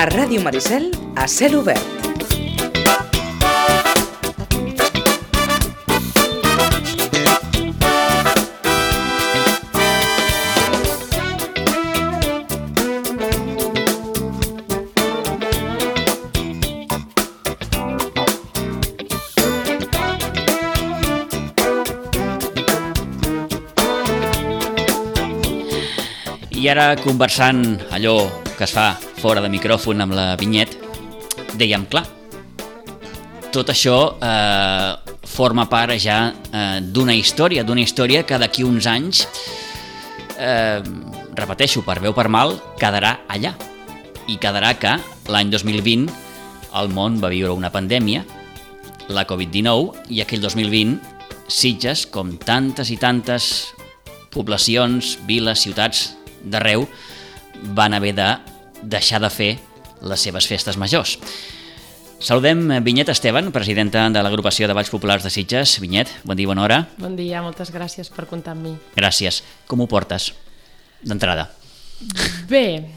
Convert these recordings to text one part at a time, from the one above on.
A Ràdio Maricel, a cel obert. I ara, conversant allò que es fa fora de micròfon amb la Vinyet, dèiem, clar, tot això forma part ja d'una història que d'aquí uns anys, repeteixo, per bé o per mal, quedarà allà. I quedarà que l'any 2020 el món va viure una pandèmia, la Covid-19, i aquell 2020 Sitges, com tantes i tantes poblacions, viles, ciutats d'arreu, van haver de deixar de fer les seves festes majors. Saludem Vinyet Esteban, presidenta de l'agrupació de Balls Populars de Sitges. Vinyet, bon dia, bona hora. Bon dia, moltes gràcies per comptar amb mi. Gràcies. Com ho portes, d'entrada? Bé,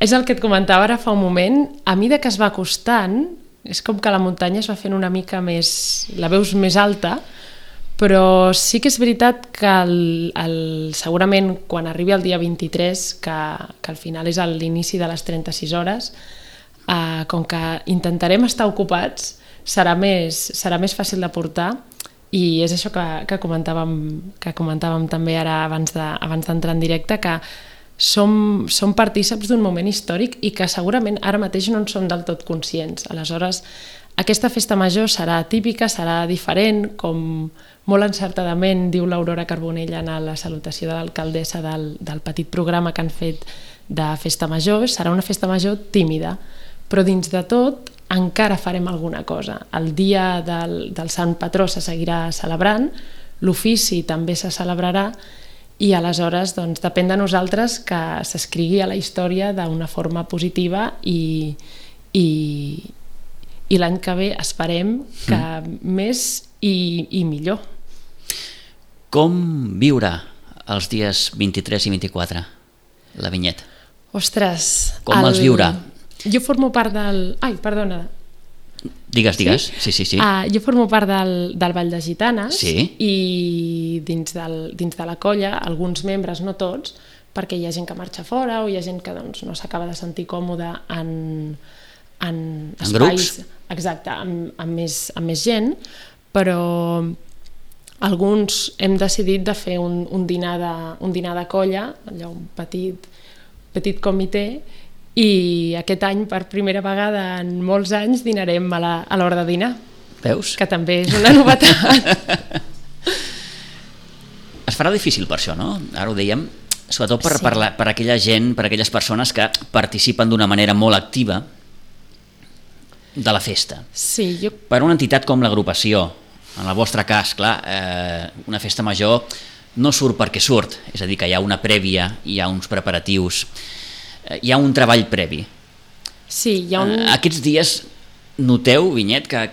és el que et comentava ara fa un moment. A mesura que es va acostant, és com que la muntanya es va fent una mica més... la veus més alta, però sí que és veritat que segurament quan arribi el dia 23, que al final és l'inici de les 36 hores, com que intentarem estar ocupats, serà més fàcil de portar, i és això que comentàvem també ara abans d'entrar en directe, que som partíceps d'un moment històric i que segurament ara mateix no en som del tot conscients. Aleshores, aquesta festa major serà típica, serà diferent, com molt encertadament diu l'Aurora Carbonell en la salutació de l'alcaldessa del petit programa que han fet de festa major. Serà una festa major tímida, però dins de tot encara farem alguna cosa. El dia del Sant Patró se seguirà celebrant, l'ofici també se celebrarà, i aleshores doncs, depèn de nosaltres que s'escrigui a la història d'una forma positiva i l'any que ve esperem que més i millor. Com viure els dies 23 i 24, la Vinyet? Ostres... Com els viurà? Jo formo part del... Ai, perdona. Digues. Sí. Jo formo part del Ball de Gitanes, sí. I dins de la colla, alguns membres, no tots, perquè hi ha gent que marxa fora o hi ha gent que doncs, no s'acaba de sentir còmode en espais... grups? Exacte, amb més gent, però alguns hem decidit de fer un dinar de colla, allò, un petit comitè, i aquest any, per primera vegada en molts anys, dinarem a l'hora de dinar. Veus? Que també és una novetat. Es farà difícil per això, no? Ara ho dèiem, sobretot per aquella gent, per aquelles persones que participen d'una manera molt activa de la festa. Sí, Per una entitat com l'agrupació, en el vostre cas, clar, una festa major no surt perquè surt, és a dir, que hi ha una prèvia, hi ha uns preparatius, hi ha un treball previ. Sí, hi ha un... Aquests dies noteu, Vinyet, que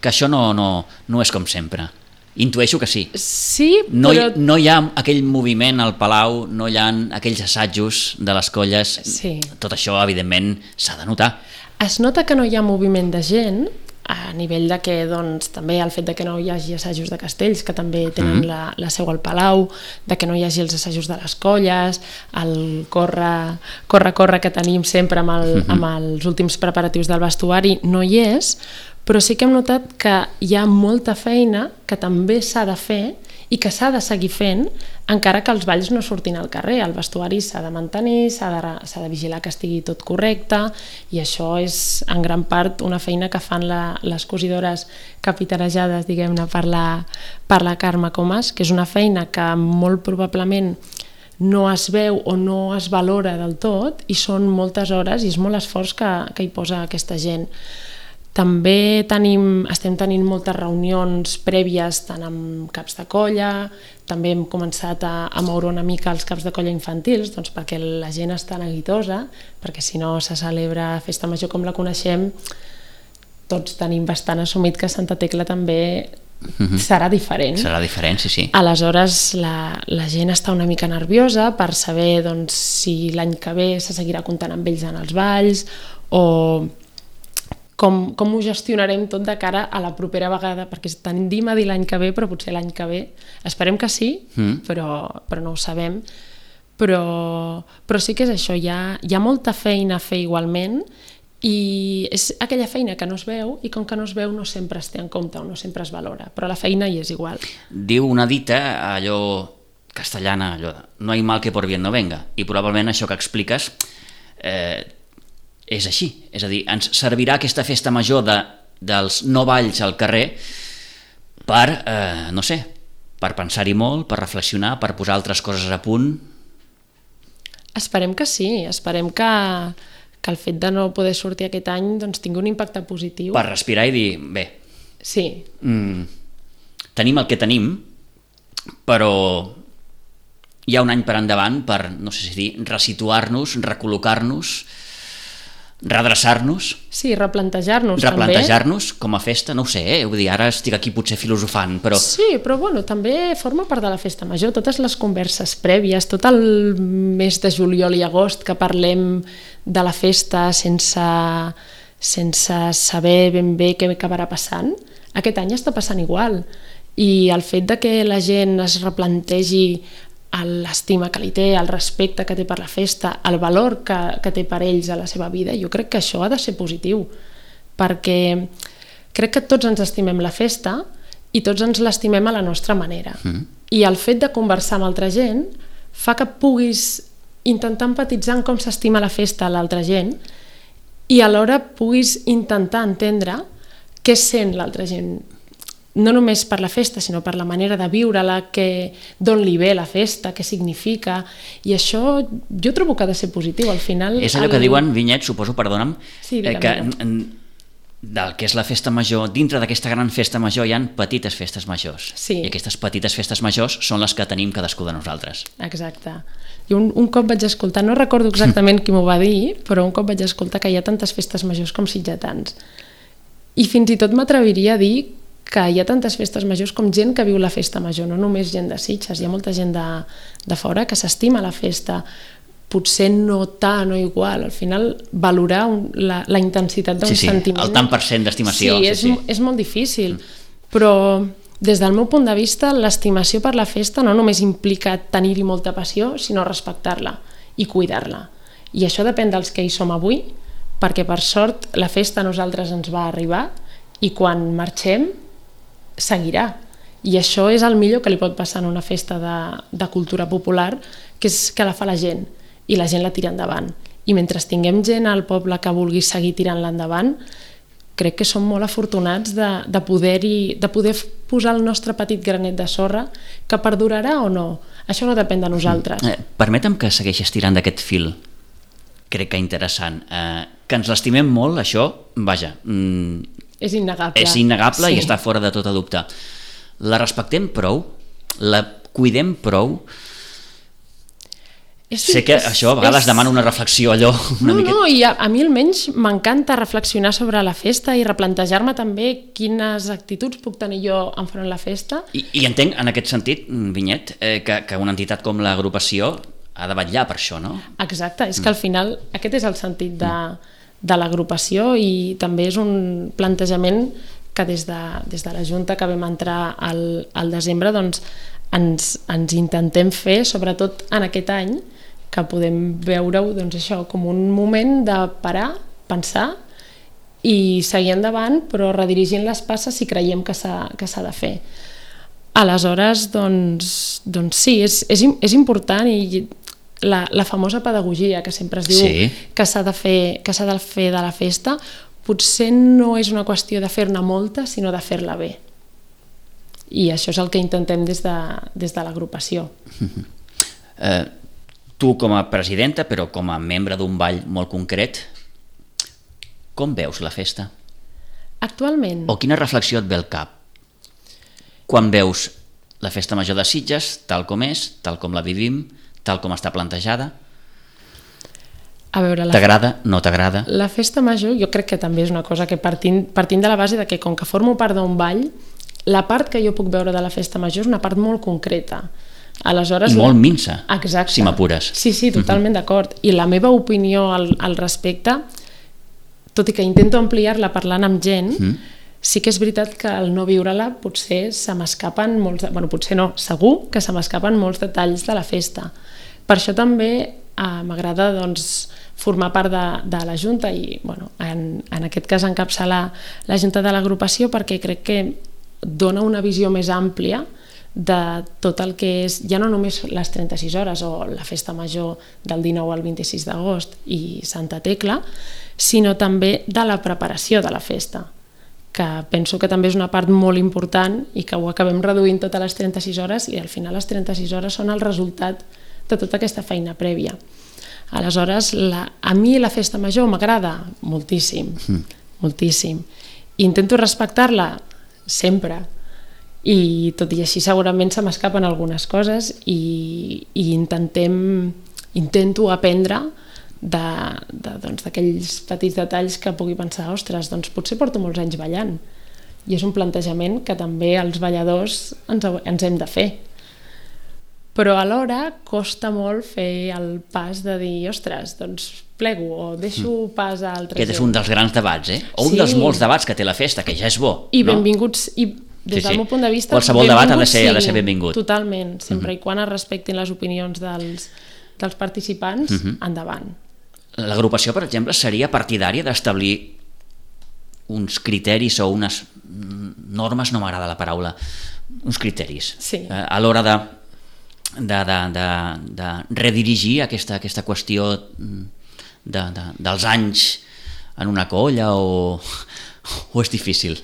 això no és com sempre. Intueixo que sí. Sí, però... No hi ha aquell moviment al Palau, no hi ha aquells assajos de les colles. Sí. Tot això, evidentment, s'ha de notar. Es nota que no hi ha moviment de gent, a nivell de que doncs, també el fet de que no hi hagi assajos de castells, que també tenen la seu al Palau, de que no hi hagi els assajos de les colles, el corre que tenim sempre amb els últims preparatius del vestuari, no hi és, però sí que hem notat que hi ha molta feina que també s'ha de fer i que s'ha de seguir fent encara que els balls no surtin al carrer. El vestuari s'ha de mantenir, s'ha de vigilar que estigui tot correcte, i això és en gran part una feina que fan les cosidores capitanejades, diguem-ne, per la Carme Comas, que és una feina que molt probablement no es veu o no es valora del tot, i són moltes hores i és molt esforç que hi posa aquesta gent. També estem tenint moltes reunions prèvies tant amb caps de colla, també hem començat a moure una mica els caps de colla infantils, doncs perquè la gent està neguitosa, perquè si no se celebra festa major com la coneixem, tots tenim bastant assumit que Santa Tecla també serà diferent. Serà diferent, sí. Aleshores, la gent està una mica nerviosa per saber doncs, si l'any que ve se seguirà comptant amb ells en els balls o com ho gestionarem tot de cara a la propera vegada, perquè tendim a dir l'any que ve, però potser l'any que ve esperem que sí, però no ho sabem. Però sí que és això, hi ha molta feina a fer igualment, i és aquella feina que no es veu, i com que no es veu no sempre es té en compte o no sempre es valora, però la feina hi és igual. Diu una dita, allò castellana, allò de, no hay mal que por bien no venga, i probablement això que expliques és així, és a dir, ens servirà aquesta festa major dels no balls al carrer per, no sé, per pensar-hi molt, per reflexionar, per posar altres coses a punt. Esperem que sí, esperem que el fet de no poder sortir aquest any doncs, tingui un impacte positiu. Per respirar i dir, bé, sí. Tenim el que tenim, però hi ha un any per endavant per, no sé si dir, resituar-nos, recol·locar-nos, redreçar-nos. Sí, replantejar-nos també. Replantejar-nos com a festa, no ho sé, vull dir, ara estic aquí potser filosofant, però... Sí, però bueno, també forma part de la festa major, totes les converses prèvies, tot el mes de juliol i agost que parlem de la festa sense saber ben bé què acabarà passant, aquest any està passant igual. I el fet de que la gent es replantegi l'estima que li té, el respecte que té per la festa, el valor que té per ells a la seva vida, jo crec que això ha de ser positiu, perquè crec que tots ens estimem la festa i tots ens l'estimem a la nostra manera. I el fet de conversar amb altra gent fa que puguis intentar empatitzar en com s'estima la festa a l'altra gent i alhora puguis intentar entendre què sent l'altra gent, no només per la festa, sinó per la manera de viure-la, d'on li ve la festa, què significa, i això jo trobo que ha de ser positiu, al final... És allò que diuen, Vinyet, suposo, perdona'm, sí, que del que és la festa major, dintre d'aquesta gran festa major hi ha petites festes majors, sí. I aquestes petites festes majors són les que tenim cadascú de nosaltres. Exacte. I un cop vaig escoltar, no recordo exactament qui m'ho va dir, però un cop vaig escoltar que hi ha tantes festes majors com sitgetans. I fins i tot m'atreviria a dir que hi ha tantes festes majors com gent que viu la festa major, no només gent de Sitges, hi ha molta gent de fora que s'estima la festa, potser no tant o igual, al final valorar la intensitat d'un sentiment... El tant per cent d'estimació. Sí, és molt difícil, però des del meu punt de vista l'estimació per la festa no només implica tenir-hi molta passió, sinó respectar-la i cuidar-la. I això depèn dels que hi som avui, perquè per sort la festa a nosaltres ens va arribar i quan marxem seguirà, i això és el millor que li pot passar en una festa de cultura popular, que és que la fa la gent i la gent la tira endavant, i mentre tinguem gent al poble que vulgui seguir tirant-la endavant, crec que som molt afortunats de poder posar el nostre petit granet de sorra, que perdurarà o no, això no depèn de nosaltres. Permetem que segueixis tirant d'aquest fil, crec que interessant, que ens l'estimem molt, això, vaja, és innegable. És innegable, sí. I està fora de tota dubte. La respectem prou? La cuidem prou? Sé que això a vegades demana una reflexió allò una miqueta. No, i a mi almenys m'encanta reflexionar sobre la festa i replantejar-me també quines actituds puc tenir jo enfront la festa. I entenc en aquest sentit, Vinyet, que una entitat com l'agrupació ha de vetllar per això, no? Exacte, és que al final aquest és el sentit de l'agrupació i també és un plantejament que des de la Junta que vam entrar al desembre doncs ens intentem fer, sobretot en aquest any, que podem veure-ho doncs això, com un moment de parar, pensar i seguir endavant, però redirigint les passes si creiem que s'ha de fer. Aleshores, doncs sí, és important, i la famosa pedagogia que sempre es diu que s'ha de fer de la festa, potser no és una qüestió de fer-ne molta, sinó de fer-la bé. I això és el que intentem des de l'agrupació. Tu com a presidenta, però com a membre d'un ball molt concret, com veus la festa? Actualment? O quina reflexió et ve al cap quan veus la festa major de Sitges tal com és, tal com la vivim, tal com està plantejada? A veure, t'agrada, no t'agrada? La festa major jo crec que també és una cosa que partint de la base de que com que formo part d'un ball, la part que jo puc veure de la festa major és una part molt concreta. Aleshores, I molt minsa, exacte, si m'apures. Sí, totalment d'acord. I la meva opinió al respecte, tot i que intento ampliar-la parlant amb gent, sí que és veritat que al no viure-la potser se m'escapen molts... Bueno, potser no, segur que se m'escapen molts detalls de la festa. Per això també m'agrada doncs, formar part de la Junta i bueno, en aquest cas encapçalar la Junta de l'agrupació perquè crec que dona una visió més àmplia de tot el que és, ja no només les 36 hores o la festa major del 19 al 26 d'agost i Santa Tecla, sinó també de la preparació de la festa, que penso que també és una part molt important i que ho acabem reduint tot a les 36 hores i al final les 36 hores són el resultat de tota aquesta feina prèvia. Aleshores, a mi la festa major m'agrada moltíssim, moltíssim. Intento respectar-la sempre i tot i així segurament se m'escapen algunes coses i intento aprendre d'aquells petits detalls que pugui pensar, ostres, doncs potser porto molts anys ballant i és un plantejament que també els balladors ens hem de fer. Però alhora costa molt fer el pas de dir, ostres, doncs plego o deixo pas a altra gent. Aquest és un dels grans debats, o un dels molts debats que té la festa, que ja és bo. I benvinguts, i des del meu punt de vista... Qualsevol debat ha de ser benvingut. Totalment, sempre i quan es respectin les opinions dels participants, endavant. L'agrupació, per exemple, seria partidària d'establir uns criteris o unes normes, no m'agrada la paraula, uns criteris a l'hora de redirigir aquesta qüestió dels anys en una colla o és difícil?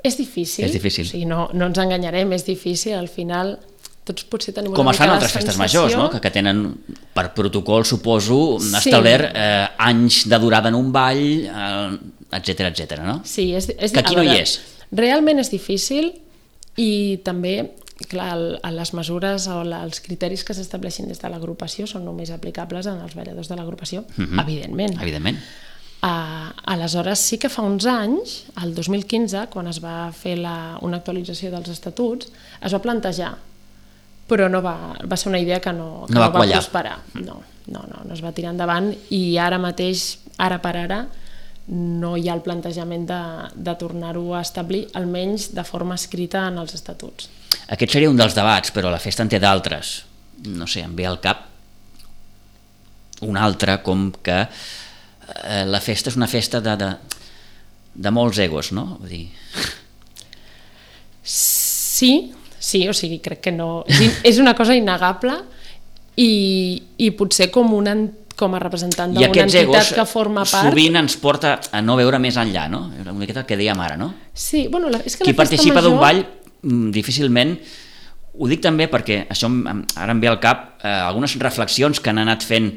És difícil. És difícil. O sigui, no ens enganyarem, és difícil. Al final tots potser tenim com es fan altres festes majors, no? Que tenen per protocol, suposo, establert anys de durada en un ball, etcètera, no? Sí, que aquí no hi és. Realment és difícil i també, clar, les mesures o els criteris que s'estableixin des de l'agrupació són només aplicables en els balladors de l'agrupació, evidentment. Aleshores sí que fa uns anys, el 2015, quan es va fer una actualització dels estatuts, es va plantejar, però va ser una idea que no va prosperar. No es va tirar endavant i ara mateix, ara per ara, no hi ha el plantejament de tornar-ho a establir, almenys de forma escrita en els estatuts. Aquest seria un dels debats, però la festa en té d'altres. No sé, em ve al cap un altre, com que la festa és una festa de molts egos, no? Vull dir... Sí, o sigui, crec que no... És una cosa innegable i potser com a representant d'una entitat que forma part... I aquests egos sovint ens porta a no veure més enllà, no? Una miqueta el que dèiem ara, no? Sí, bueno, és que qui participa d'un ball difícilment... Ho dic també perquè això ara em ve al cap algunes reflexions que han anat fent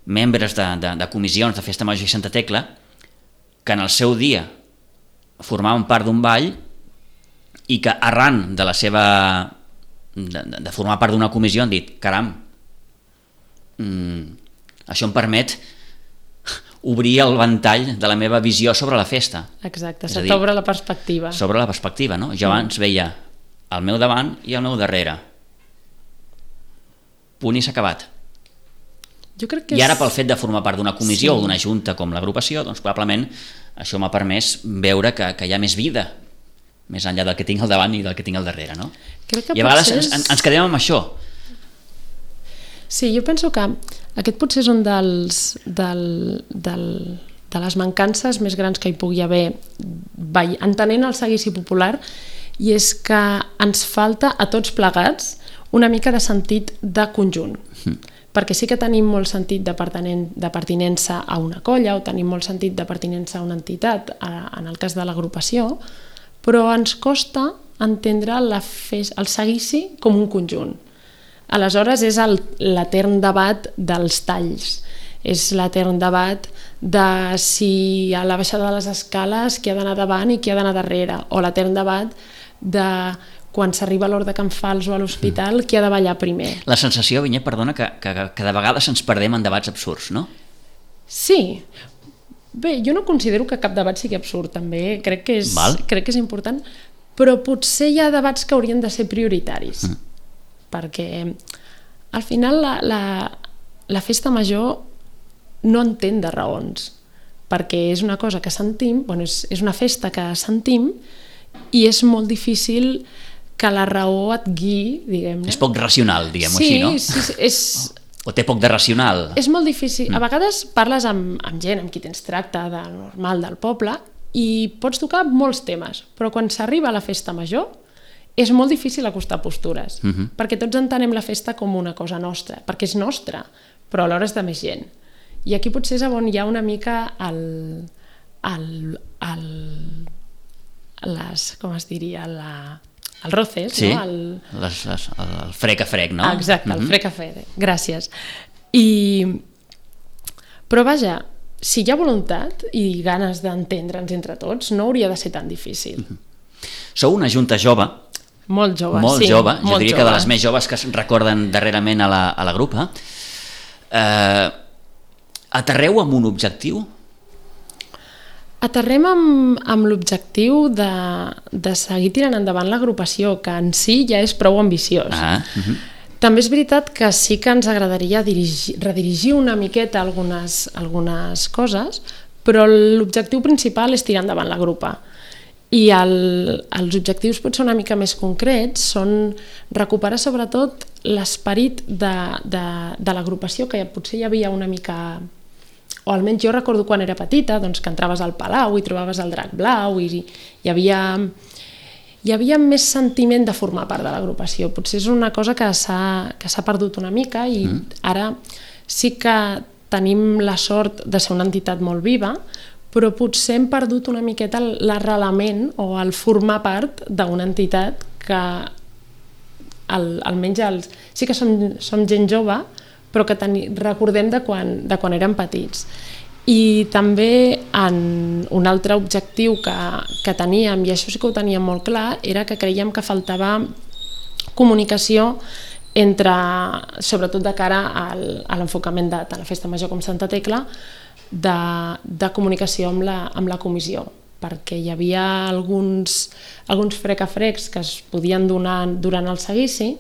membres de comissions de Festa Major i Santa Tecla que en el seu dia formaven part d'un ball i que arran de la seva de formar part d'una comissió han dit, caram, això em permet obrir el ventall de la meva visió sobre la festa. Exacte, se t'obre la perspectiva. S'obre la perspectiva, no? Jo abans veia al meu davant i al meu darrere. Punt i s'ha acabat. Jo crec que I ara pel fet de formar part d'una comissió o d'una junta com l'agrupació, doncs probablement això m'ha permès veure que hi ha més vida, més enllà del que tinc al davant i del que tinc al darrere, no? I a vegades ens quedem amb això. Sí, jo penso que aquest potser és un de les mancances més grans que hi pugui haver entenent el seguici popular, i és que ens falta a tots plegats una mica de sentit de conjunt, perquè sí que tenim molt sentit de pertinença a una colla o tenim molt sentit de pertinença a una entitat, en el cas de l'agrupació, però ens costa entendre el seguici com un conjunt. Aleshores és l'etern debat dels talls, és l'etern debat de si a la baixada de les escales qui ha d'anar davant i qui ha d'anar darrere, o l'etern debat de quan s'arriba a l'hora de Can Fals o a l'hospital qui ha de ballar primer. La sensació, Vinyet, perdona, que de vegades ens perdem en debats absurds, no? Sí. Bé, jo no considero que cap debat sigui absurd, també. Crec que és important, però potser hi ha debats que haurien de ser prioritaris, perquè al final la festa major no entén de raons, perquè és una cosa que sentim, bueno, és una festa que sentim i és molt difícil que la raó et guiï, diguem-ne. És poc racional, diguem-ho així, no? Sí, o té poc de racional. És molt difícil. A vegades parles amb gent amb qui tens tracte de normal del poble i pots tocar molts temes, però quan s'arriba a la festa major és molt difícil acostar postures, perquè tots entenem la festa com una cosa nostra, perquè és nostra, però alhora és de més gent. I aquí potser és on hi ha una mica com es diria, el roces, sí, no? El frec a frec, no? Exacte, el frec a frec, gràcies. Però vaja, si hi ha voluntat i ganes d'entendre'ns entre tots, no hauria de ser tan difícil. Sou una junta jove. Molt jove, molt sí. Jove. Jo molt diria jove. que de les més joves que es recorden darrerament a la grupa. Aterreu amb un objectiu? Aterrem amb l'objectiu de seguir tirant endavant l'agrupació, que en si ja és prou ambiciós. També és veritat que sí que ens agradaria redirigir una miqueta algunes coses, però l'objectiu principal és tirar endavant la grupa. I els objectius potser una mica més concrets són recuperar sobretot l'esperit de l'agrupació, que potser hi havia una mica, o almenys jo recordo quan era petita, doncs, que entraves al Palau i trobaves el Drac Blau i hi havia més sentiment de formar part de l'agrupació. Potser és una cosa que s'ha perdut una mica i ara sí que tenim la sort de ser una entitat molt viva, però potser hem perdut una miqueta l'arrelament o el formar part d'una entitat que almenys sí que som gent jove, però que recordem de quan érem petits. I també un altre objectiu que teníem, i això sí que ho teníem molt clar, era que creiem que faltava comunicació sobretot de cara a l'enfocament de tant la Festa Major com Santa Tecla, de comunicació amb la comissió, perquè hi havia alguns frec-a-frecs que es podien donar durant el seguici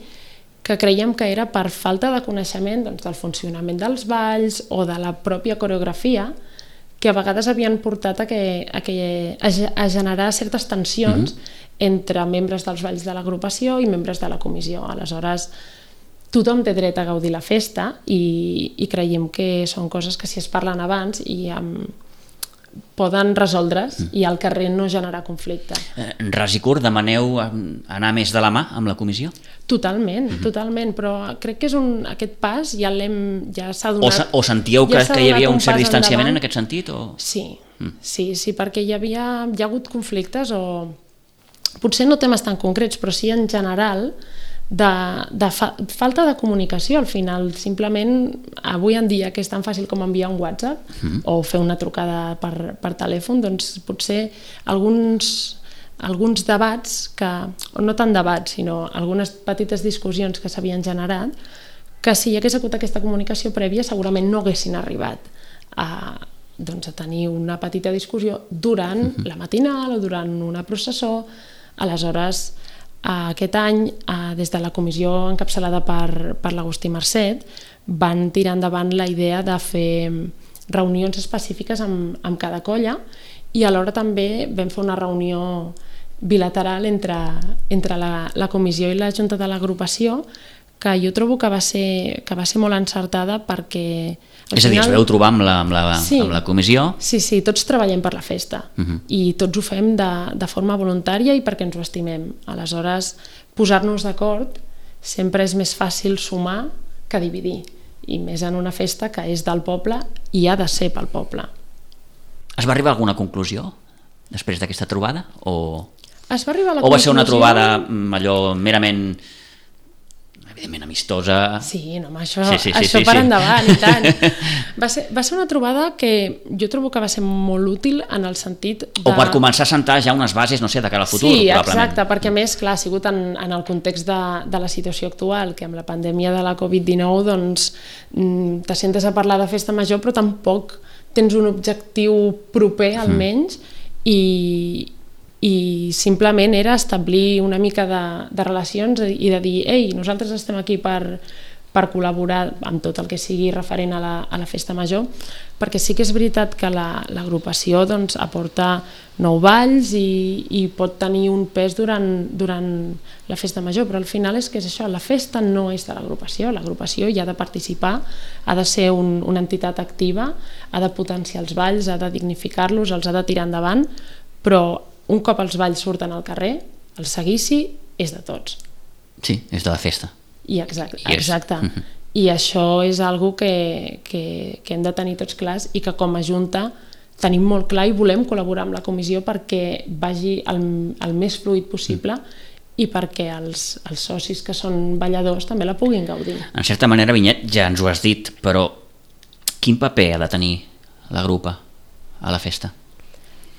que creiem que era per falta de coneixement del funcionament dels balls o de la pròpia coreografia, que a vegades havien portat a generar certes tensions entre membres dels balls de l'agrupació i membres de la comissió. Aleshores, tothom té dret a gaudir la festa i creiem que són coses que si es parlen abans poden resoldre's i al carrer no generar conflicte. Ras i curt, demaneu anar més de la mà amb la comissió? Totalment, però crec que és aquest pas ja s'ha donat... O sentíeu que hi havia un cert distanciament en aquest sentit? Sí, perquè hi ha hagut conflictes o potser no temes tan concrets, però sí en general de falta de comunicació al final. Simplement avui en dia que és tan fàcil com enviar un WhatsApp o fer una trucada per telèfon, doncs potser alguns debats, o no tant debats, sinó algunes petites discussions que s'havien generat, que si hi hagués hagut aquesta comunicació prèvia segurament no haguessin arribat a tenir una petita discussió durant la matinal o durant una processó. Aleshores, aquest any, des de la comissió encapçalada per l'Agustí Marcet, van tirar endavant la idea de fer reunions específiques amb cada colla i alhora també vam fer una reunió bilateral entre la comissió i la junta de l'agrupació, que jo trobo que va ser molt encertada perquè... És a dir, es veu trobar amb la comissió? Sí, tots treballem per la festa i tots ho fem de forma voluntària i perquè ens ho estimem. Aleshores, posar-nos d'acord sempre és més fàcil sumar que dividir, i més en una festa que és del poble i ha de ser pel poble. Es va arribar a alguna conclusió després d'aquesta trobada? O va ser una trobada allò merament... evidentment amistosa... Sí, això per endavant i tant. Va ser una trobada que jo trobo que va ser molt útil en el sentit de... O per començar a sentar ja unes bases, no sé, de cara al futur, sí, probablement. Sí, exacte, perquè a més, clar, ha sigut en el context de la situació actual, que amb la pandèmia de la Covid-19 doncs te sentes a parlar de festa major però tampoc tens un objectiu proper almenys i i simplement era establir una mica de relacions i de dir, ei, nosaltres estem aquí per col·laborar amb tot el que sigui referent a la festa major, perquè sí que és veritat que l'agrupació doncs, aporta 9 balls i pot tenir un pes durant la festa major, però al final és que és això, la festa no és de l'agrupació hi ha de participar, ha de ser una entitat activa, ha de potenciar els balls, ha de dignificar-los, els ha de tirar endavant, però un cop els balls surten al carrer, el seguici és de tots. Sí, és de la festa. Exacte. I això és algo que hem de tenir tots clars i que com a Junta tenim molt clar i volem col·laborar amb la comissió perquè vagi el més fluid possible i perquè els socis que són balladors també la puguin gaudir. En certa manera, Vinyet, ja ens ho has dit, però quin paper ha de tenir la grupa a la festa?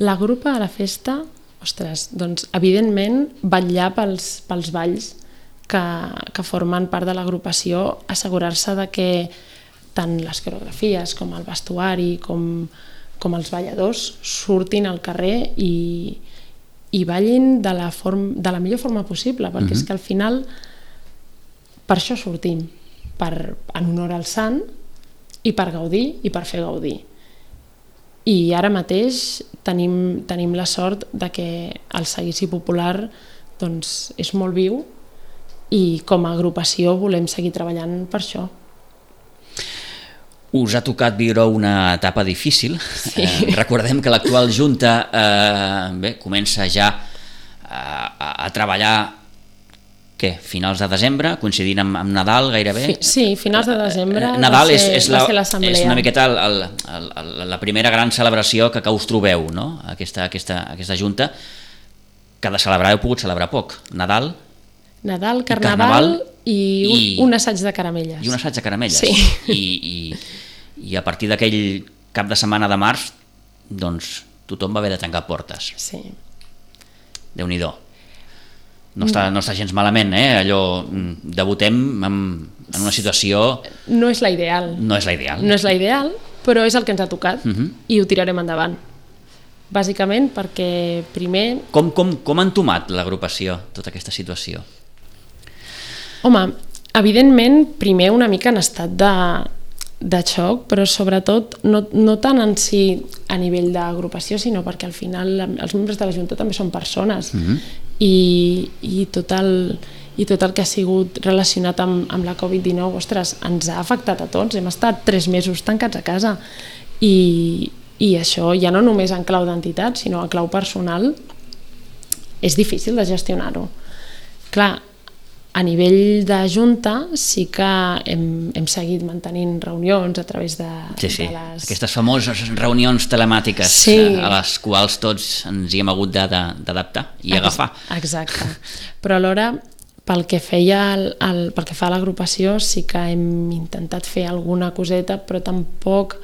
La grupa a la festa, ostres, doncs evidentment vetllar pels balls que formen part de l'agrupació, assegurar-se de que tant les coreografies com el vestuari com els balladors surtin al carrer i ballin de la millor forma possible, perquè és que al final per això sortim, en honor al sant i per gaudir i per fer gaudir. I ara mateix tenim la sort de que el seguici popular doncs, és molt viu i com a agrupació volem seguir treballant per això. Us ha tocat viure una etapa difícil. Sí. Recordem que l'actual Junta comença ja a treballar finals de desembre, coincidint amb Nadal gairebé. Sí, finals de desembre Nadal va ser l'assemblea. És una miqueta la primera gran celebració que us trobeu, no? Aquesta Junta, que de celebrar heu pogut celebrar poc. Nadal, Carnaval i un assaig de caramelles. I un assaig de caramelles. Sí. I a partir d'aquell cap de setmana de març, doncs tothom va haver de tancar portes. Sí. Déu-n'hi-do. No està gens malament, allò, debutem en una situació... No és la ideal. No és la ideal, però és el que ens ha tocat i ho tirarem endavant. Bàsicament perquè primer... Com ha entomat l'agrupació tota aquesta situació? Home, evidentment, primer una mica en estat de xoc, però sobretot no tant en si a nivell d'agrupació, sinó perquè al final els membres de la Junta també són persones i tot el que ha sigut relacionat amb la Covid-19, ostres, ens ha afectat a tots, hem estat 3 mesos tancats a casa i això ja no només en clau d'entitat, sinó en clau personal és difícil de gestionar-ho. Clar, a nivell de Junta sí que hem seguit mantenint reunions a través de les... Aquestes famoses reunions telemàtiques a les quals tots ens hi hem hagut d'adaptar i agafar. Exacte. Però alhora, pel que fa a l'agrupació, sí que hem intentat fer alguna coseta, però tampoc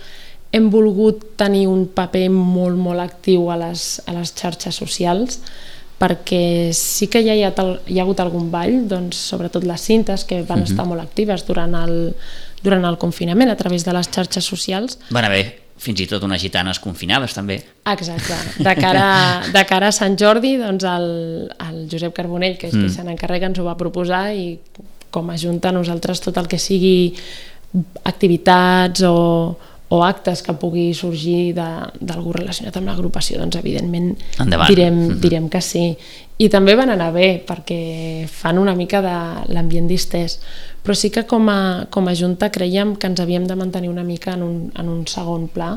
hem volgut tenir un paper molt, molt actiu a les xarxes socials, perquè sí que ja hi ha hagut algun ball, doncs, sobretot les cintes que van estar molt actives durant el confinament a través de les xarxes socials. Van haver fins i tot unes gitanes confinades també. Exacte, de cara a Sant Jordi, doncs el Josep Carbonell, que és qui se n'encarrega, ens ho va proposar i com a Junta nosaltres tot el que sigui activitats o actes que pugui sorgir d'algú relacionat amb l'agrupació, doncs evidentment direm que sí. I també van anar bé, perquè fan una mica de l'ambient distès. Però sí que com a Junta creiem que ens havíem de mantenir una mica en un segon pla,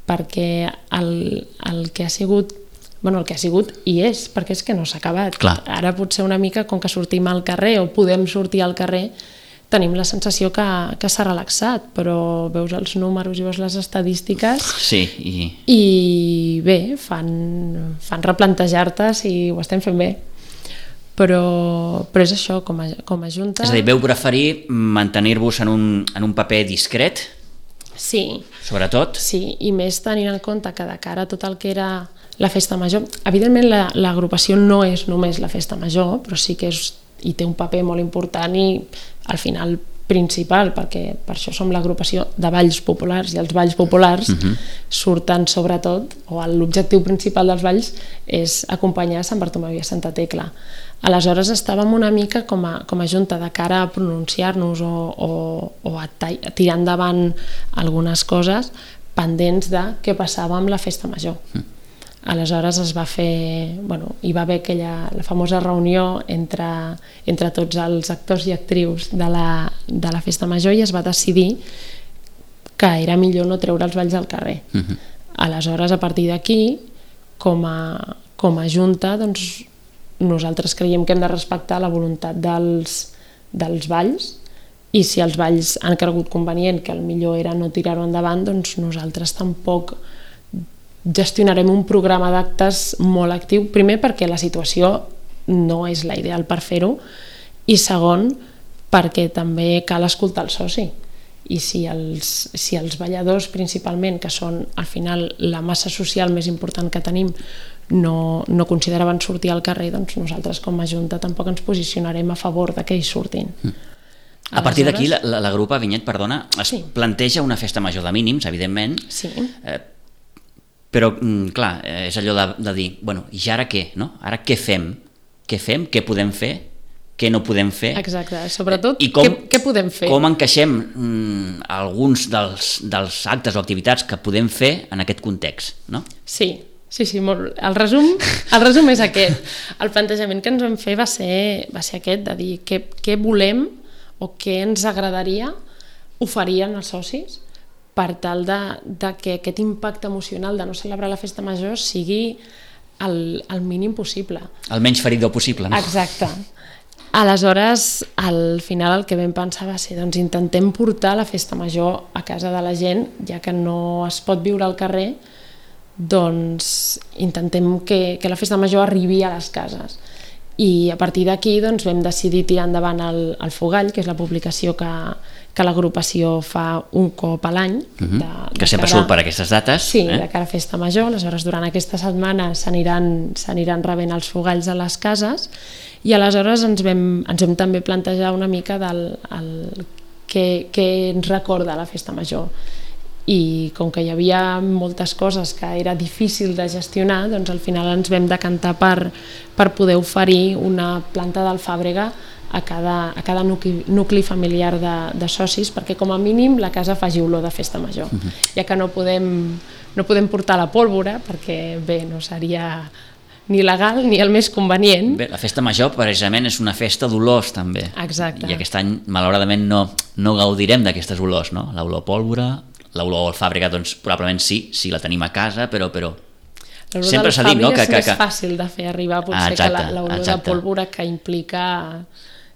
perquè el que ha sigut i és, perquè és que no s'ha acabat. Clar. Ara potser una mica, com que sortim al carrer o podem sortir al carrer, tenim la sensació que s'ha relaxat, però veus els números i veus les estadístiques i bé, fan replantejar-te si ho estem fent bé. Però és això, com a Junta... És a dir, veu preferir mantenir-vos en un paper discret? Sí. Sobretot? Sí, i més tenint en compte que de cara a tot el que era la festa major, evidentment l'agrupació no és només la festa major, però sí que hi té un paper molt important i al final principal, perquè per això som l'agrupació de balls populars, i els balls populars surten sobretot, o l'objectiu principal dels balls és acompanyar Sant Bartomeu i a Santa Tecla. Aleshores estàvem una mica com a junta de cara a pronunciar-nos o a tirar endavant algunes coses pendents de què passava amb la festa major. Aleshores es va fer, hi va haver la famosa reunió entre tots els actors i actrius de la festa major i es va decidir que era millor no treure els balls al carrer. Aleshores, a partir d'aquí, com a junta, doncs, nosaltres creiem que hem de respectar la voluntat dels balls, i si els balls han cregut convenient que el millor era no tirar-ho endavant, doncs nosaltres tampoc gestionarem un programa d'actes molt actiu, primer perquè la situació no és la ideal per fer-ho, i segon perquè també cal escoltar el soci, i si els balladors principalment, que són al final la massa social més important que tenim, no consideraven sortir al carrer, doncs nosaltres com a Junta tampoc ens posicionarem a favor de que ells surtin. A partir d'aquí la grupa Vinyet, perdona, es planteja una festa major de mínims, evidentment, però clar, és allò de dir, i ara què? Ara què fem? Què podem fer? Què no podem fer? Exacte, sobretot què podem fer? Com encaixem alguns dels actes o activitats que podem fer en aquest context, no? Sí, molt. El resum és aquest. El plantejament que ens vam fer va ser aquest, de dir què volem o què ens agradaria oferir als socis per tal de que aquest impacte emocional de no celebrar la festa major sigui el mínim possible. El menys feridor possible, no? Exacte. Aleshores, al final el que vam pensar va ser intentem portar la festa major a casa de la gent, ja que no es pot viure al carrer, doncs intentem que la festa major arribi a les cases. I a partir d'aquí vam decidir tirar endavant el Fogall, que és la publicació que l'agrupació fa un cop a l'any. Que sempre surt per aquestes dates. Sí, de cara a festa major. Aleshores, durant aquesta setmana s'aniran rebent els fogalls a les cases, i aleshores ens vam també plantejar una mica què ens recorda la festa major. I com que hi havia moltes coses que era difícil de gestionar, doncs al final ens vam decantar per poder oferir una planta d'alfàbrega a cada nucli familiar de socis, perquè com a mínim la casa faci olor de festa major, ja que no podem portar la pólvora, perquè bé, no seria ni legal ni el més convenient. Bé, la festa major precisament és una festa d'olors també. Exacte. I aquest any malauradament no gaudirem d'aquestes olors, no? L'olor pólvora, l'olor alfàbrega, doncs probablement sí, si la tenim a casa, però sempre s'ha dit, no? Que és més fàcil de fer arribar potser que l'olor de pólvora, que implica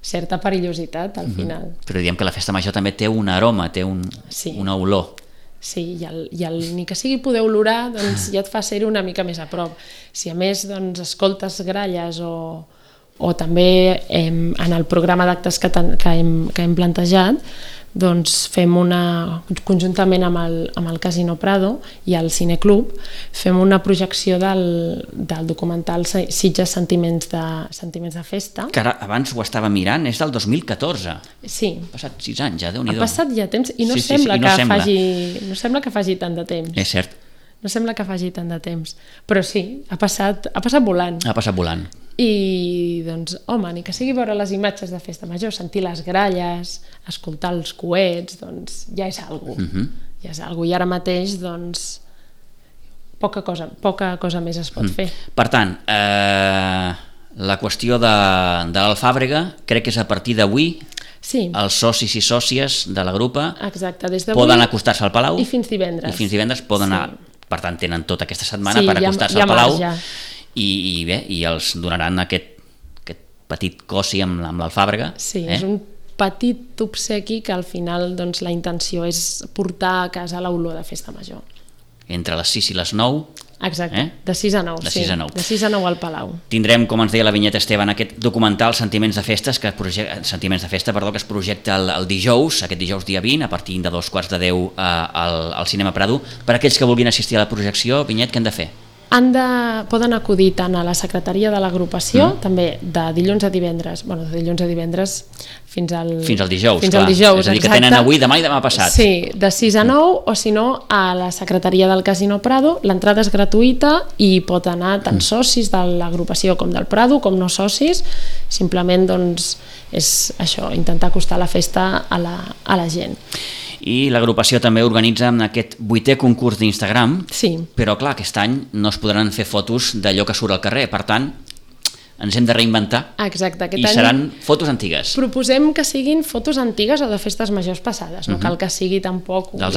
certa perillositat al final. Però diem que la festa major també té un aroma, té una olor. Sí, i ni que sigui poder olorar, doncs ja et fa ser una mica més a prop. Si a més escoltes gralles o també en el programa d'actes que hem plantejat, doncs fem conjuntament amb el Casino Prado i el Cineclub, fem una projecció del documental Sitges Sentiments de Festa. Que ara abans ho estava mirant, és del 2014. Sí. Han passat 6 anys ja, Déu-n'hi-do. Ha passat ja temps i no sembla que faci tant de temps. És cert. No sembla que faci tant de temps. Però sí, ha passat volant. Ha passat volant. I doncs, home, ni que sigui veure les imatges de festa major, sentir les gralles, escoltar els coets, doncs ja és algo. Ja és algo. I ara mateix, doncs, poca cosa més es pot fer. Per tant, la qüestió de l'alfàbrega crec que és a partir d'avui. Sí. Els socis i sòcies de la grupa poden acostar-se al Palau i fins divendres poden anar. Per tant, tenen tota aquesta setmana per acostar-se al Palau i bé, i els donaran aquest petit cosi amb l'alfàbrega. Sí, és un petit obsequi que al final la intenció és portar a casa l'olor de festa major. Entre les 6 i les 9. Exacte, de 6 a 9. De 6 a 9 al Palau. Tindrem, com ens deia la Vinyet Esteban, aquest documental Sentiments de Festa que es projecta el dijous, aquest dijous dia 20, a partir de 2:15 al Cinema Prado. Per aquells que vulguin assistir a la projecció, Vinyet, què han de fer? poden acudir tant a la secretaria de l'agrupació, també de dilluns a divendres, de dilluns a divendres fins al dijous, fins clar. al dijous, és a dir, que tenen avui, demà i demà passat. Sí, de 6 a 9, o si no, a la secretaria del Casino Prado. L'entrada és gratuïta i pot anar tant socis de l'agrupació com del Prado, com no socis. Simplement, doncs, és això, intentar acostar la festa a la gent. I l'agrupació també organitza aquest 8è concurs d'Instagram, però clar, aquest any no es podran fer fotos d'allò que surt al carrer, per tant, ens hem de reinventar. Exacte, i seran fotos antigues. Proposem que siguin fotos antigues o de festes majors passades, no cal que sigui tampoc una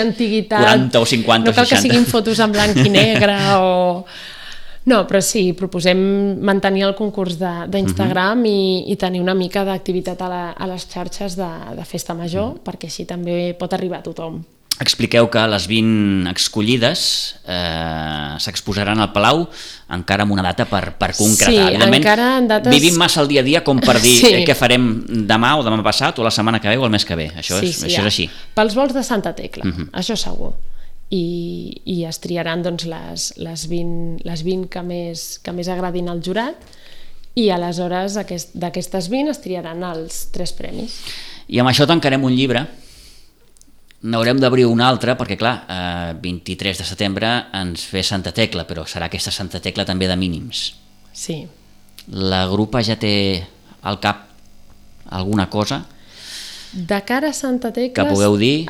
antiguitat, 40 o 50 no cal 60. que siguin fotos en blanc i negre o... No, però sí, proposem mantenir el concurs d'Instagram i tenir una mica d'activitat a les xarxes de festa major, perquè així també pot arribar a tothom. Expliqueu que les 20 escollides s'exposaran al Palau encara amb una data per concretar. Sí, encara en dates... Vivim massa el dia a dia com per dir què farem demà o demà passat o la setmana que ve o el mes que ve. Això és així. Pels vols de Santa Tecla, això segur. I es triaran doncs, les 20 que més agradin al jurat, i aleshores d'aquestes 20 es triaran els 3 premis. I amb això tancarem un llibre. N'haurem d'obrir un altre perquè, clar, 23 de setembre ens ve Santa Tecla, però serà aquesta Santa Tecla també de mínims. Sí. La grupa ja té al cap alguna cosa? De cara a Santa Tecla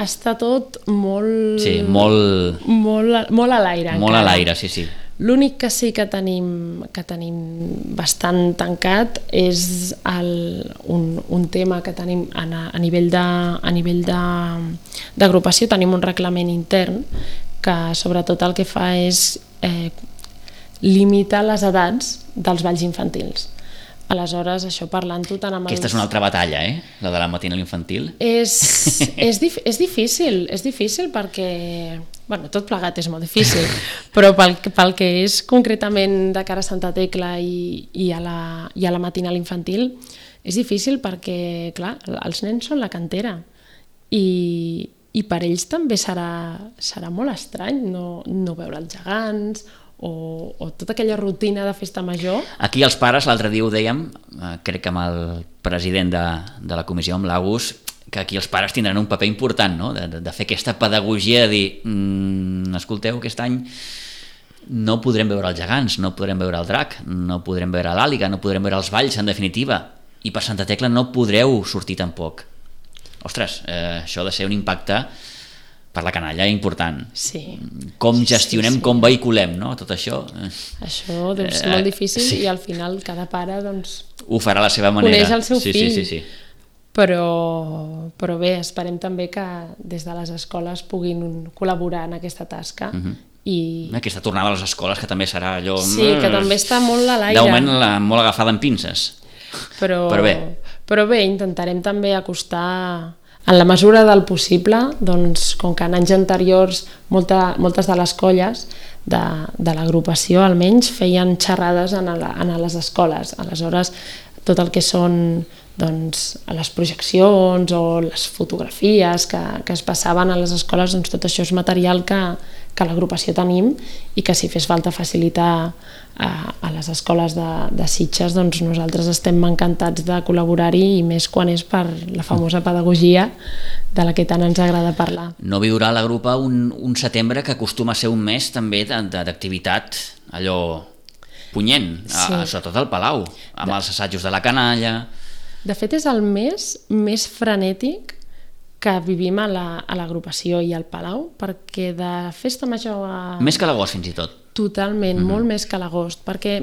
està tot molt... Sí, molt a l'aire. Molt a l'aire, sí. L'únic que sí que tenim bastant tancat és un tema que tenim a nivell d'agrupació. Tenim un reglament intern que sobretot el que fa és limitar les edats dels balls infantils. Aleshores, això parlant-ho tant amb els... Aquesta és una altra batalla, la de la matinal infantil. És difícil perquè... tot plegat és molt difícil, però pel que és concretament de cara a Santa Tecla i a la matinal infantil, és difícil perquè, clar, els nens són la cantera i per ells també serà molt estrany no veure els gegants o tota aquella rutina de festa major. Aquí els pares, l'altre dia ho dèiem, crec que amb el president de la comissió, amb l'Agus, que aquí els pares tindran un paper important, no? De fer aquesta pedagogia de dir escolteu, aquest any no podrem veure els gegants, no podrem veure el drac, no podrem veure l'àliga, no podrem veure els balls, en definitiva, i per Santa Tecla no podreu sortir tampoc. Ostres, això ha de ser un impacte per la canalla important. Sí. Com gestionem, com vehiculem, no? Tot això. Això deu ser molt difícil i al final cada pare ho farà a la seva manera. Coneix el seu fill. Sí. Però bé, esperem també que des de les escoles puguin col·laborar en aquesta tasca. I aquesta tornada a les escoles, que també serà allò... Sí, que també està molt a l'aire. De moment molt agafada en pinces. Però bé, intentarem també acostar, en la mesura del possible, doncs, com que en anys anteriors moltes de les colles de l'agrupació almenys feien xerrades a les escoles. Aleshores, tot el que són les projeccions o les fotografies que es passaven a les escoles, tot això és material que l'agrupació tenim i que si fes falta facilitar a les escoles de Sitges, doncs nosaltres estem encantats de col·laborar-hi, i més quan és per la famosa pedagogia de la que tant ens agrada parlar. No viurà la grupa un setembre que acostuma a ser un mes també d'activitat allò punyent, sobretot al Palau, amb els assajos de la canalla. De fet, és el mes més frenètic que vivim a l'agrupació i al Palau, perquè de festa major a... Més que l'agost, fins i tot. Totalment, molt més que l'agost, perquè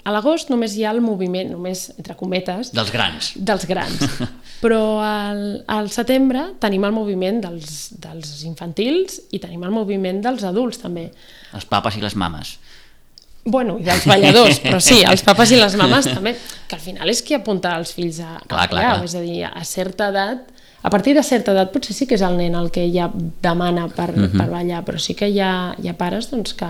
a l'agost només hi ha el moviment, només, entre cometes... Dels grans. Però al setembre tenim el moviment dels infantils i tenim el moviment dels adults, també. Els papes i les mames. Bueno, i dels balladors, però sí, els papes i les mames també, que al final és qui apunta els fills a ballar, és a dir, a certa edat, a partir de certa edat potser sí que és el nen el que ja demana per ballar, però sí que hi ha pares que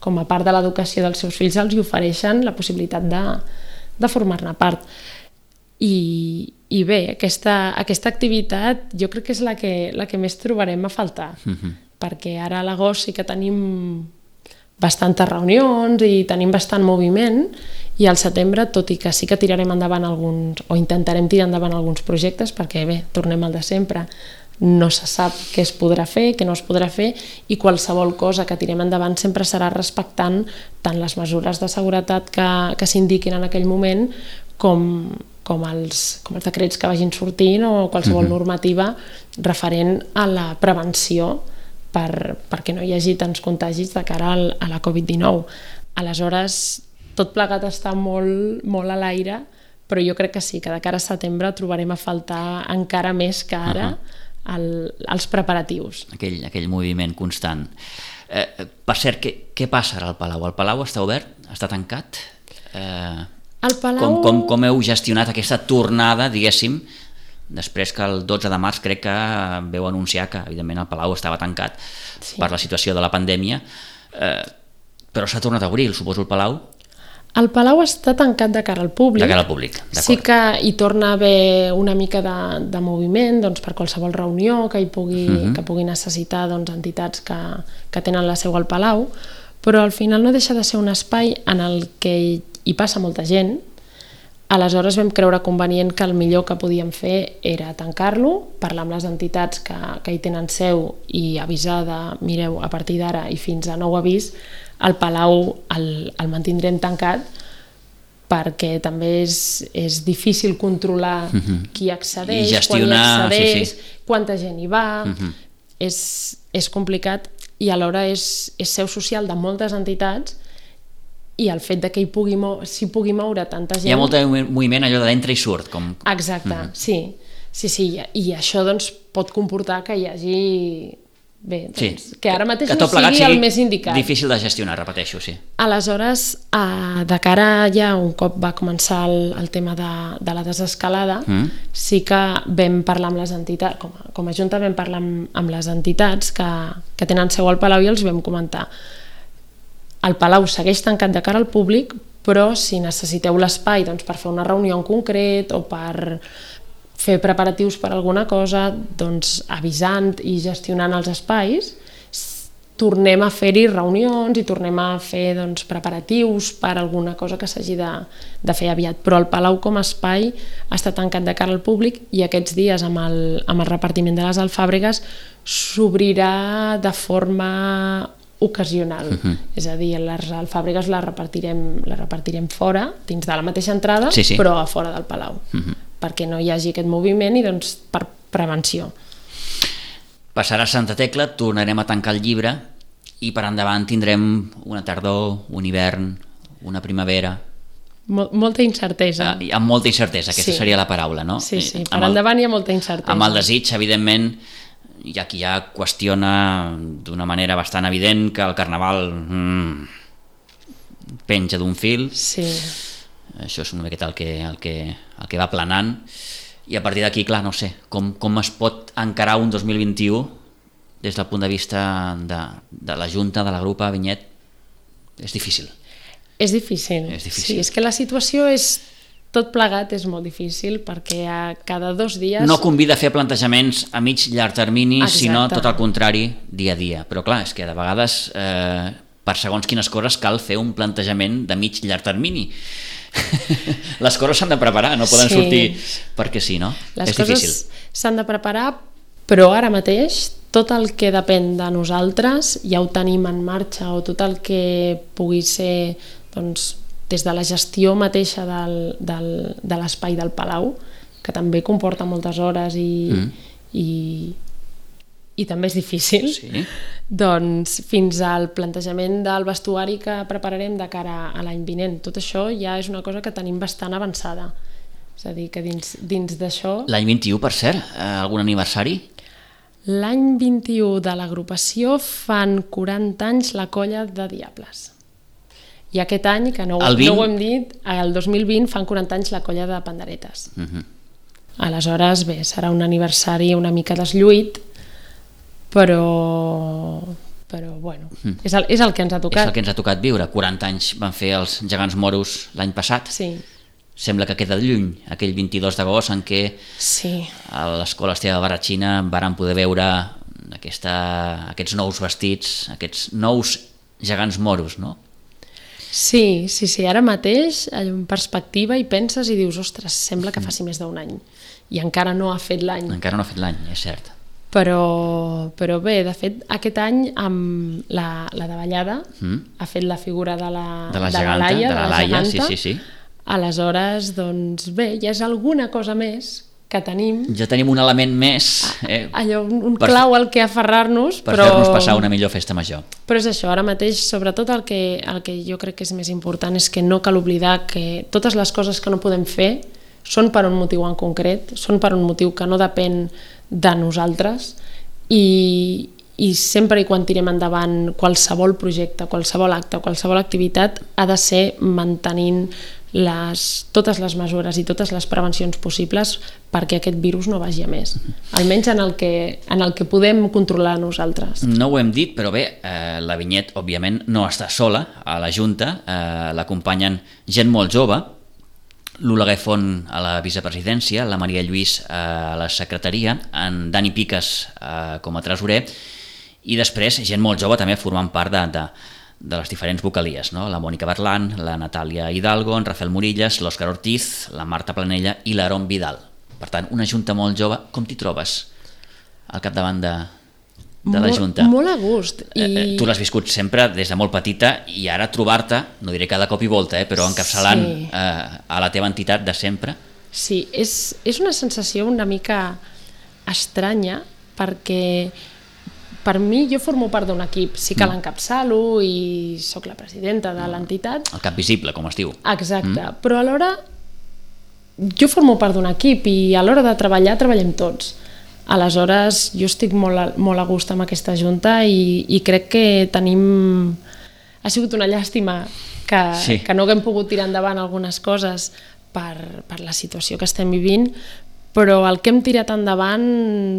com a part de l'educació dels seus fills els ofereixen la possibilitat de formar-ne part. I bé, aquesta activitat jo crec que és la que més trobarem a faltar, perquè ara a l'agost sí que tenim bastantes reunions i tenim bastant moviment, i al setembre, tot i que sí que tirarem endavant alguns, o intentarem tirar endavant alguns projectes, perquè bé, tornem al de sempre, no se sap què es podrà fer, què no es podrà fer, i qualsevol cosa que tirem endavant sempre serà respectant tant les mesures de seguretat que s'indiquin en aquell moment com els decrets que vagin sortint o qualsevol normativa referent a la prevenció perquè no hi hagi tants contagis de cara a la Covid-19. Aleshores, tot plegat està molt, molt a l'aire, però jo crec que sí, que de cara a setembre trobarem a faltar encara més que ara els preparatius. Aquell moviment constant. Per cert, què passa ara al Palau? El Palau està obert? Està tancat? El Palau... Com heu gestionat aquesta tornada, diguéssim, després que el 12 de març crec que veu anunciar que evidentment el Palau estava tancat per la situació de la pandèmia, però s'ha tornat a obrir, suposo, el Palau? El Palau està tancat de cara al públic. De cara al públic, d'acord. Sí que hi torna a haver una mica de moviment per qualsevol reunió que pugui necessitar entitats que tenen la seu al Palau, però al final no deixa de ser un espai en el que hi passa molta gent. Aleshores vam creure convenient que el millor que podíem fer era tancar-lo, parlar amb les entitats que hi tenen seu i avisar de, mireu, a partir d'ara i fins a nou avís, el Palau el mantindrem tancat perquè també és difícil controlar qui accedeix, quan hi accedeix, quanta gent hi va, és complicat i alhora és seu social de moltes entitats i el fet de que s'hi pugui moure tanta gent... Hi ha molt de moviment allò d'entra i surt. Exacte, sí. I això pot comportar que hi hagi... Bé, que ara mateix no sigui el més indicat. Difícil de gestionar, repeteixo, sí. Aleshores, de cara ja un cop va començar el tema de la desescalada, sí que vam parlar amb les entitats, com a Junta vam parlar amb les entitats que tenen seu al Palau i els vam comentar. El Palau segueix tancat de cara al públic, però si necessiteu l'espai per fer una reunió en concret o per fer preparatius per alguna cosa, avisant i gestionant els espais, tornem a fer-hi reunions i tornem a fer preparatius per alguna cosa que s'hagi de fer aviat. Però el Palau com a espai està tancat de cara al públic i aquests dies amb el repartiment de les alfàbregues s'obrirà de forma ocasional, és a dir, les alfàbregues les repartirem fora, dins de la mateixa entrada, però a fora del Palau, perquè no hi hagi aquest moviment i per prevenció. Passarà Santa Tecla, tornarem a tancar el llibre i per endavant tindrem una tardor, un hivern, una primavera... Molta incertesa. Amb molta incertesa, aquesta seria la paraula, no? Sí, per endavant hi ha molta incertesa. Amb el desig, evidentment, hi ha qui ja qüestiona d'una manera bastant evident que el Carnaval penja d'un fil. Sí. Això és una miqueta el que va planant i a partir d'aquí, clar, no sé, com es pot encarar un 2021 des del punt de vista de la Junta, de la Grupa Vinyet? És difícil. És difícil. Sí, és que la situació tot plegat és molt difícil perquè cada 2 dies... No convida a fer plantejaments a mig llarg termini, sinó tot el contrari, dia a dia. Però clar, és que de vegades per segons quines coses cal fer un plantejament de mig llarg termini. Les coses s'han de preparar, no poden sortir perquè sí, no? És difícil. Les coses s'han de preparar, però ara mateix tot el que depèn de nosaltres ja ho tenim en marxa, o tot el que pugui ser des de la gestió mateixa de l'espai del Palau, que també comporta moltes hores i també és difícil, fins al plantejament del vestuari que prepararem de cara a l'any vinent. Tot això ja és una cosa que tenim bastant avançada. És a dir, que dins d'això... L'any 21, per cert, algun aniversari? L'any 21 de l'agrupació fan 40 anys la Colla de Diables. I aquest any, que no ho hem dit, el 2020 fan 40 anys la Colla de Panderetes. Aleshores, bé, serà un aniversari una mica deslluït, però bueno, és el que ens ha tocat. És el que ens ha tocat viure. 40 anys van fer els Gegants Moros l'any passat. Sí. Sembla que queda lluny, aquell 22 d'agost en què a l'Escola Esteve Barratxina varen poder veure aquests nous vestits, aquests nous gegants moros, no? Sí, ara mateix en perspectiva hi penses i dius, ostres, sembla que faci més d'un any i encara no ha fet l'any. Encara no ha fet l'any, és cert. Però bé, de fet, aquest any amb la davallada ha fet la figura de la Laia, de la geganta. Sí. Aleshores, doncs bé, ja és alguna cosa més que tenim. Ja tenim un element més Allò, un clau al que aferrar-nos. Per fer-nos passar una millor festa major. Però és això, ara mateix, sobretot el que jo crec que és més important és que no cal oblidar que totes les coses que no podem fer són per un motiu en concret, són per un motiu que no depèn de nosaltres i sempre i quan tirem endavant qualsevol projecte, qualsevol acte, qualsevol activitat ha de ser mantenint totes les mesures i totes les prevencions possibles perquè aquest virus no vagi a més, almenys en el que podem controlar nosaltres. No ho hem dit, però bé, la Vinyet òbviament no està sola a la Junta, l'acompanyen gent molt jove, l'Oleguer Font a la vicepresidència, la Maria Lluís a la secretaria, en Dani Piques com a tresorer i després gent molt jove també formant part de les diferents vocalies, no? La Mònica Berlan, la Natàlia Hidalgo, en Rafael Murillas, l'Òscar Ortiz, la Marta Planella i l'Aaron Vidal. Per tant, una junta molt jove. Com t'hi trobes al capdavant de la junta? Molt a gust. Tu l'has viscut sempre des de molt petita i ara trobar-te, no diré cada cop i volta, però encapçalant a la teva entitat de sempre. Sí, és una sensació una mica estranya perquè per mi jo formo part d'un equip, sí que l'encapçalo i sóc la presidenta de l'entitat. El cap visible, com es diu. Exacte, però alhora jo formo part d'un equip i a l'hora de treballar treballem tots. Aleshores jo estic molt a gust amb aquesta junta i crec que tenim... Ha sigut una llàstima que no haguem pogut tirar endavant algunes coses per la situació que estem vivint, però el que hem tirat endavant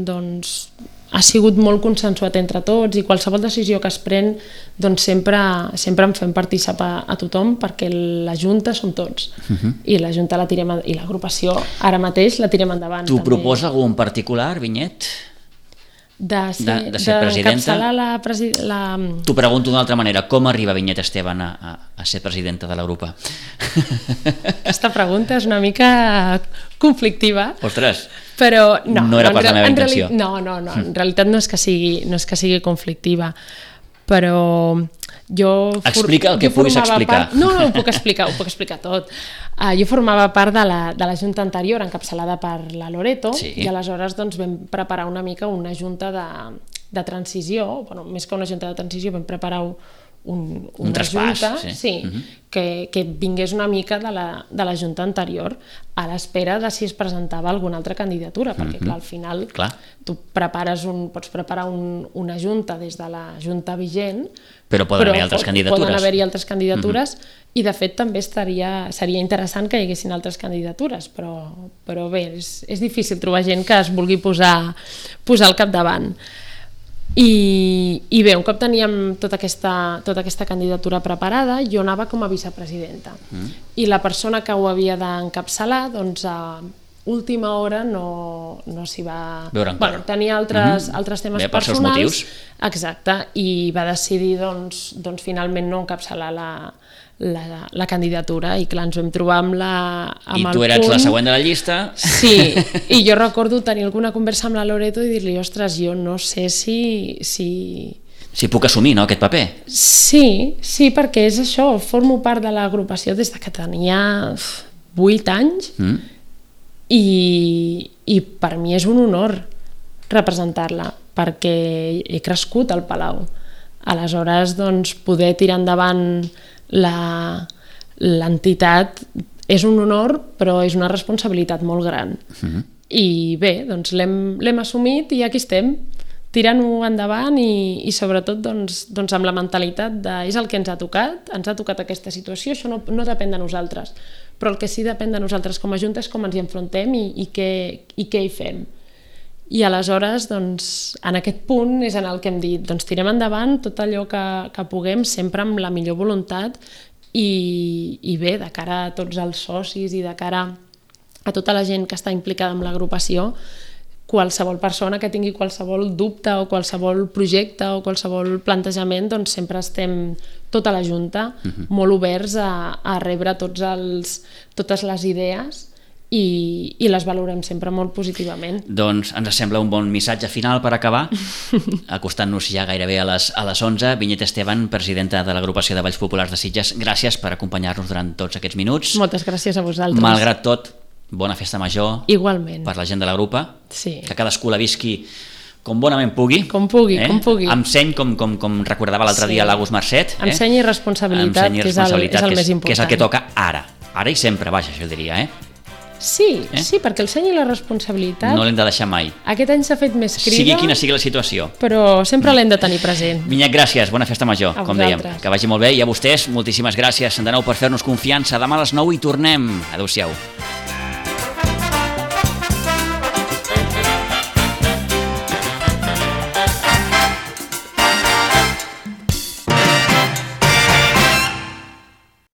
doncs ha sigut molt consensuat entre tots i qualsevol decisió que es pren doncs sempre en fem participar a tothom perquè la Junta som tots i la Junta i l'agrupació ara mateix la tirem endavant. T'ho proposa algú en particular, Vinyet? De ser presidenta? T'ho pregunto d'una altra manera, com arriba Vinyet Esteban a ser presidenta de la grupa? Aquesta pregunta és una mica conflictiva. Ostres, però no era pas la meva intenció. No, en realitat no és que sigui conflictiva, però jo... Explica el que puguis explicar. No, ho puc explicar tot. Jo formava part de la junta anterior, encapçalada per la Loreto, i aleshores doncs, vam preparar una mica una junta de transició, més que una junta de transició, vam preparar una traspàs, junta que vingués una mica de la junta anterior a l'espera de si es presentava alguna altra candidatura, perquè clar, al final tu pots preparar una junta des de la junta vigent, però poden haver-hi altres candidatures. I de fet també seria interessant que hi haguessin altres candidatures, però bé, és difícil trobar gent que es vulgui posar al capdavant. I bé, un cop teníem tota aquesta candidatura preparada, jo anava com a vicepresidenta i la persona que ho havia d'encapçalar doncs a última hora no s'hi va... tenia altres temes personals. Exacte, i va decidir doncs finalment no encapçalar la candidatura i clar, ens vam trobar amb I tu eres la següent de la llista. Sí, i jo recordo tenir alguna conversa amb la Loreto i dir-li, ostres, jo no sé si puc assumir, no, aquest paper? Sí, perquè és això, formo part de l'agrupació des que tenia 8 anys i per mi és un honor representar-la perquè he crescut al Palau. Aleshores, doncs, poder tirar endavant l'entitat és un honor, però és una responsabilitat molt gran. I bé, doncs l'hem assumit i aquí estem, tirant-ho endavant i sobretot doncs, amb la mentalitat de és el que ens ha tocat aquesta situació, això no depèn de nosaltres, però el que sí depèn de nosaltres com a Junta és com ens hi enfrontem i què hi fem. I aleshores, doncs, en aquest punt és en el que hem dit, doncs tirem endavant tot allò que puguem, sempre amb la millor voluntat i bé, de cara a tots els socis i de cara a tota la gent que està implicada en l'agrupació, qualsevol persona que tingui qualsevol dubte o qualsevol projecte o qualsevol plantejament, doncs sempre estem tota la Junta molt oberts a rebre totes les idees i les valorem sempre molt positivament. Doncs ens sembla un bon missatge final per acabar, acostant-nos ja gairebé a les 11. Vinyet Esteban, presidenta de l'Agrupació de Balls Populars de Sitges, gràcies per acompanyar-nos durant tots aquests minuts. Moltes gràcies a vosaltres. Malgrat tot, bona festa major. Igualment. Per la gent de la grupa. Sí. Que cadascú la visqui com bonament pugui. Com pugui. Amb seny, com recordava l'altre dia l'Agus Marcet. Amb seny i responsabilitat, que és el més important. Que és el que toca ara i sempre, vaja, això diria, Sí, perquè el seny i la responsabilitat no l'hem de deixar mai. Aquest any s'ha fet més crida, sigui quina sigui la situació, però sempre l'hem de tenir present. Vinyet, gràcies, bona festa major, a com vosaltres. dèiem, que vagi molt bé, i a vostès moltíssimes gràcies de nou per fer-nos confiança. Demà a les 9 hi tornem. Adéu-siau.